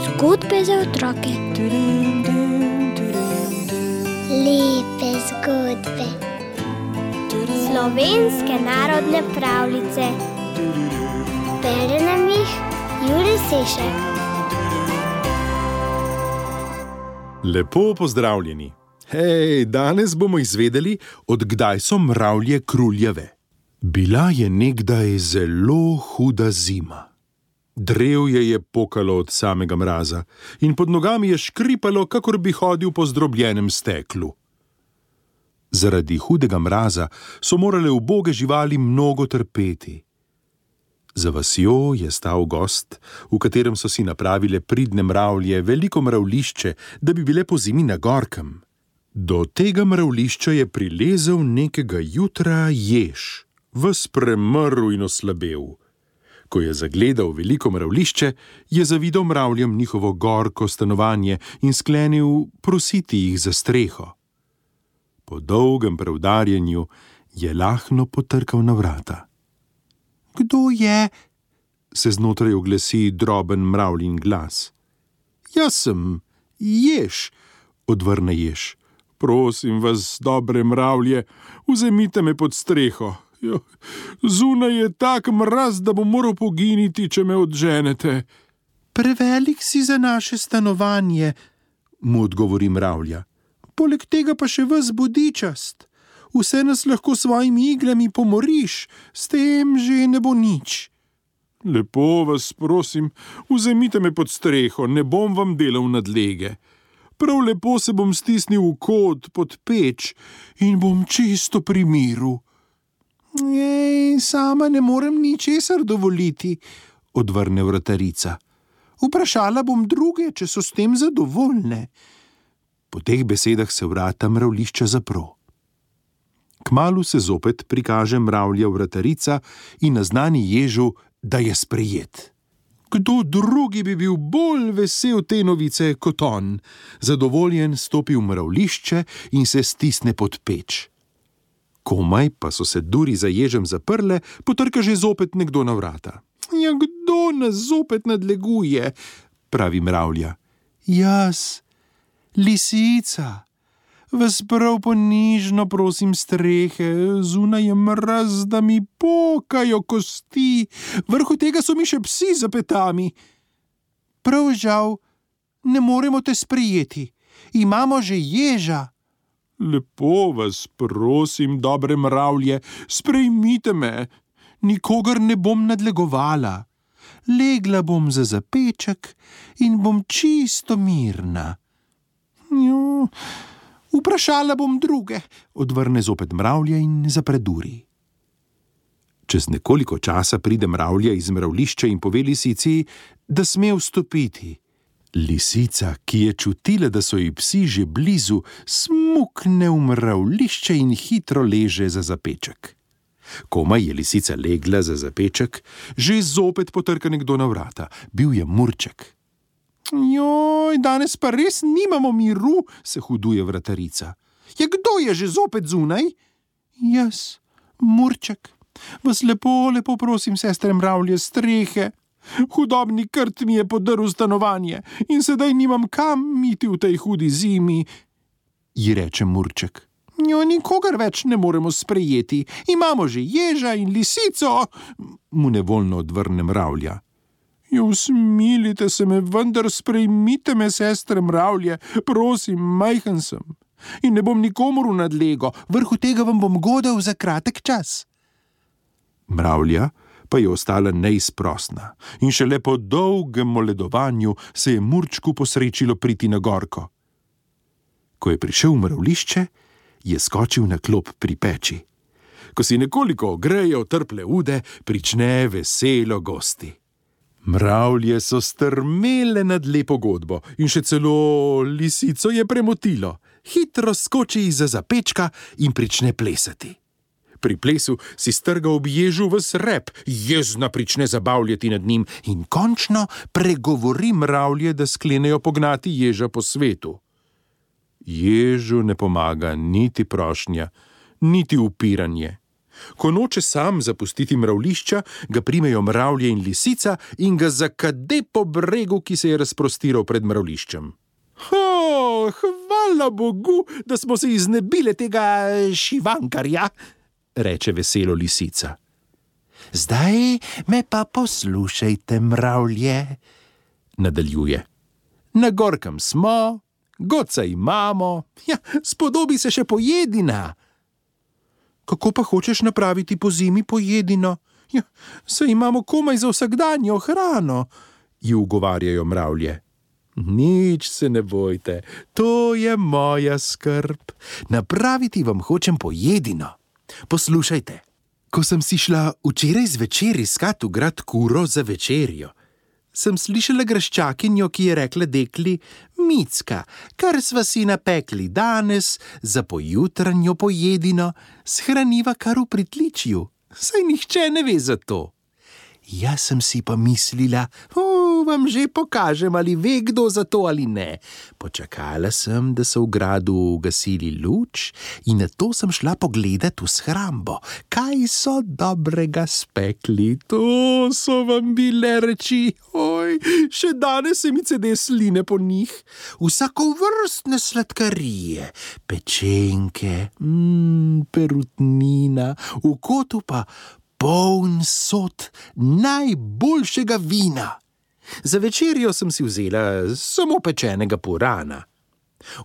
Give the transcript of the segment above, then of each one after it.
Zgodbe za otroke. Lepe zgodbe. Slovenske narodne pravljice. Bere nam jih Jurij Sešek. Lepo pozdravljeni. Hej, danes bomo izvedeli, od kdaj so mravlje kruljave. Bila je nekdaj zelo huda zima. Drevje je pokalo od samega mraza in pod nogami je škripalo, kakor bi hodil po zdrobljenem steklu. Zaradi hudega mraza so morale uboge živali mnogo trpeti. Za vasjo je stal gozd, v katerem so si napravile pridne mravlje veliko mravlišče, da bi bile pozimi na gorkem. Do tega mravlišča je prilezel nekega jutra jež, ves premrl in oslabel. Ko je zagledal veliko mravlišče, je zavidal mravljem njihovo gorko stanovanje in sklenil prositi jih za streho. Po dolgem preudarjanju je lahno potrkal na vrata. Kdo je? Se znotraj oglasi droben mravljin glas. Jaz sem, jež, odvrne jež. Prosim vas, dobre mravlje, vzemite me pod streho. Zunaj je tak mraz, da bom moral poginiti, če me odženete. Prevelik si za naše stanovanje, mu odgovori mravlja. Poleg tega pa še ves bodičast. Vse nas lahko svojimi iglami pomoriš, s tem že ne bo nič. Lepo vas prosim, vzemite me pod streho, ne bom vam delal nadlege. Prav lepo se bom stisnil v kot pod peč in bom čisto pri miru. Sama ne morem ničesar dovoliti, odvrne vratarica. Vprašala bom druge, če so s tem zadovoljne. Po teh besedah se vrata mravlišča zapro. Kmalu se zopet prikaže mravlja vratarica in naznani ježu, da je sprejet. Kdo drugi bi bil bolj vesel te novice kot on? Zadovoljen stopi v mravlišče in se stisne pod peč. Komaj pa so se duri za ježem zaprle, potrka že zopet nekdo na vrata. Ja, kdo nas zopet nadleguje? Pravi mravlja. Jaz, lisica. Vas prav ponižno prosim strehe, zunaj je mraz, da mi pokajo kosti, vrhu tega so mi še psi za petami. Prav žal, ne moremo te sprejeti, imamo že ježa. Lepo vas prosim, dobre mravlje, sprejmite me, nikogar ne bom nadlegovala. Legla bom za zapeček in bom čisto mirna. Vprašala bom druge, odvrne zopet mravlja in zapre duri. Čez nekoliko časa pride mravlja iz mravlišča in pove lisici, da sme vstopiti. Lisica, ki je čutila, da so ji psi že blizu, smukne v mravlišče in hitro leže za zapeček. Komaj je lisica legla za zapeček, že zopet potrka nekdo na vrata. Bil je Murček. Joj, danes pa res nimamo miru, se huduje vratarica. Ja, kdo je že zopet zunaj? Jaz, Murček. Vas lepo prosim, sestre mravlje, strehe. Hudobni krt mi je podrl stanovanje in sedaj nimam kam iti v tej hudi zimi, ji reče Murček. Jo, nikogar več ne moremo sprejeti, imamo že ježa in lisico, mu nevoljno odvrne mravlja. Usmilite se me, vendar sprejmite me, sestre mravlje, prosim, majhen sem in ne bom nikomur v nadlego, vrhu tega vam bom godal za kratek čas. Mravlja pa je ostala neizprosna in šele po dolgem moledovanju se je Murčku posrečilo priti na gorko. Ko je prišel v mravlišče, je skočil na klop pri peči. Ko si nekoliko ogrejejo trple ude, prične veselo gosti. Mravlje so strmele nad lepo godbo in še celo lisico je premotilo. Hitro skoči izza zapečka in prične plesati. Pri plesu si strga ob ježu ves rep, jezna prične zabavljati nad njim in končno pregovori mravlje, da sklenejo pognati ježa po svetu. Ježu ne pomaga niti prošnja, niti upiranje. Ko noče sam zapustiti mravlišča, ga primejo mravlje in lisica in ga zakade po bregu, ki se je razprostiral pred mravliščem. Hvala Bogu, da smo se iznebile tega šivankarja, reče veselo lisica. Zdaj me pa poslušajte, mravlje, nadaljuje. Na gorkem smo, godca imamo, spodobi se še pojedina. Kako pa hočeš napraviti po zimi pojedino? Saj imamo komaj za vsakdanjo hrano, ji ugovarjajo mravlje. Nič se ne bojte, to je moja skrb. Napraviti vam hočem pojedino. Poslušajte, ko sem si šla včeraj zvečer iskat v grad kuro za večerjo, sem slišala graščakinjo, ki je rekla dekli: Micka, kar sva si napekli danes za pojutranjo pojedino, shraniva kar v pritličju, saj nihče ne ve za to. Jaz sem si pa mislila, vam že pokažem, ali ve kdo za to ali ne. Počakala sem, da so v gradu ugasili luč in nato sem šla pogledat v shrambo, kaj so dobrega spekli. To so vam bile reči, še danes se mi cede sline po njih. Vsakovrstne sladkarije, pečenke, perutnina, v kotu pa poln sod najboljšega vina. Za večerjo sem si vzela samo pečenega purana.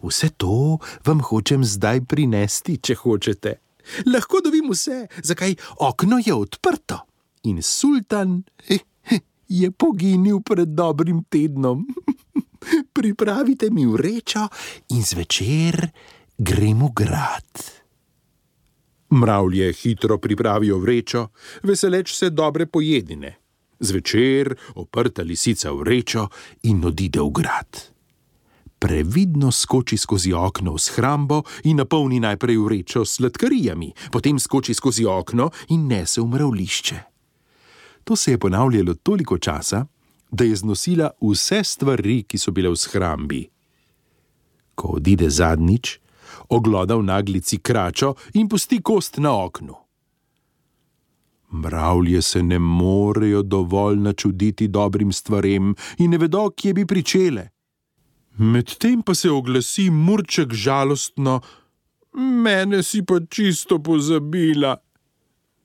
Vse to vam hočem zdaj prinesti, če hočete. Lahko dobim vse, zakaj okno je odprto. In sultan je poginil pred dobrim tednom. Pripravite mi vrečo in zvečer grem v grad. Mravlje hitro pripravijo vrečo, veseleč se dobre pojedine. Zvečer oprta lisica vrečo in odide v grad. Previdno skoči skozi okno v shrambo in napolni najprej vrečo s sladkarijami, potem skoči skozi okno in nese v mravlišče. To se je ponavljalo toliko časa, da je znosila vse stvari, ki so bile v shrambi. Ko odide zadnjič, ogloda v naglici kračo in pusti kost na oknu. Mravlje se ne morejo dovolj načuditi dobrim stvarem in ne vedo, kje bi pričele. Medtem pa se oglasi murček žalostno: Mene si pa čisto pozabila.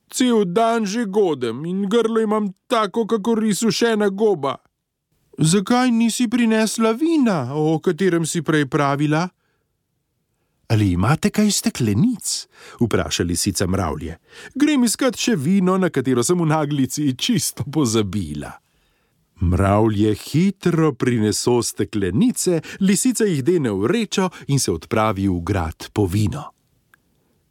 Cel dan že godem in grlo imam tako, kakor izsušena goba. Zakaj nisi prinesla vina, o katerem si prej pravila? Ali imate kaj steklenic? Vpraša lisica mravlje. Grem iskat še vino, na katero sem v naglici čisto pozabila. Mravlje hitro prineso steklenice, lisica jih dene v vrečo in se odpravi v grad po vino.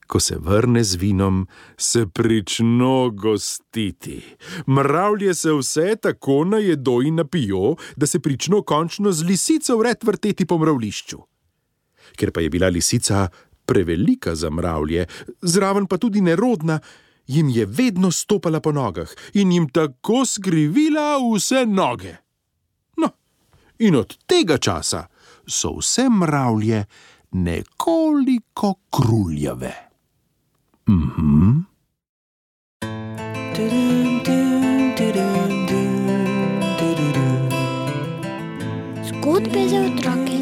Ko se vrne z vinom, se prično gostiti. Mravlje se vse tako najedo in napijo, da se prično končno z lisico vred vrteti po mravlišču. Ker pa je bila lisica prevelika za mravlje, zraven pa tudi nerodna, jim je vedno stopala po nogah in jim tako skrivila vse noge. No, in od tega časa so vse mravlje nekoliko kruljave. Zgodbe za otroke.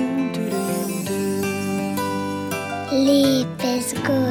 Lepe zgodbe.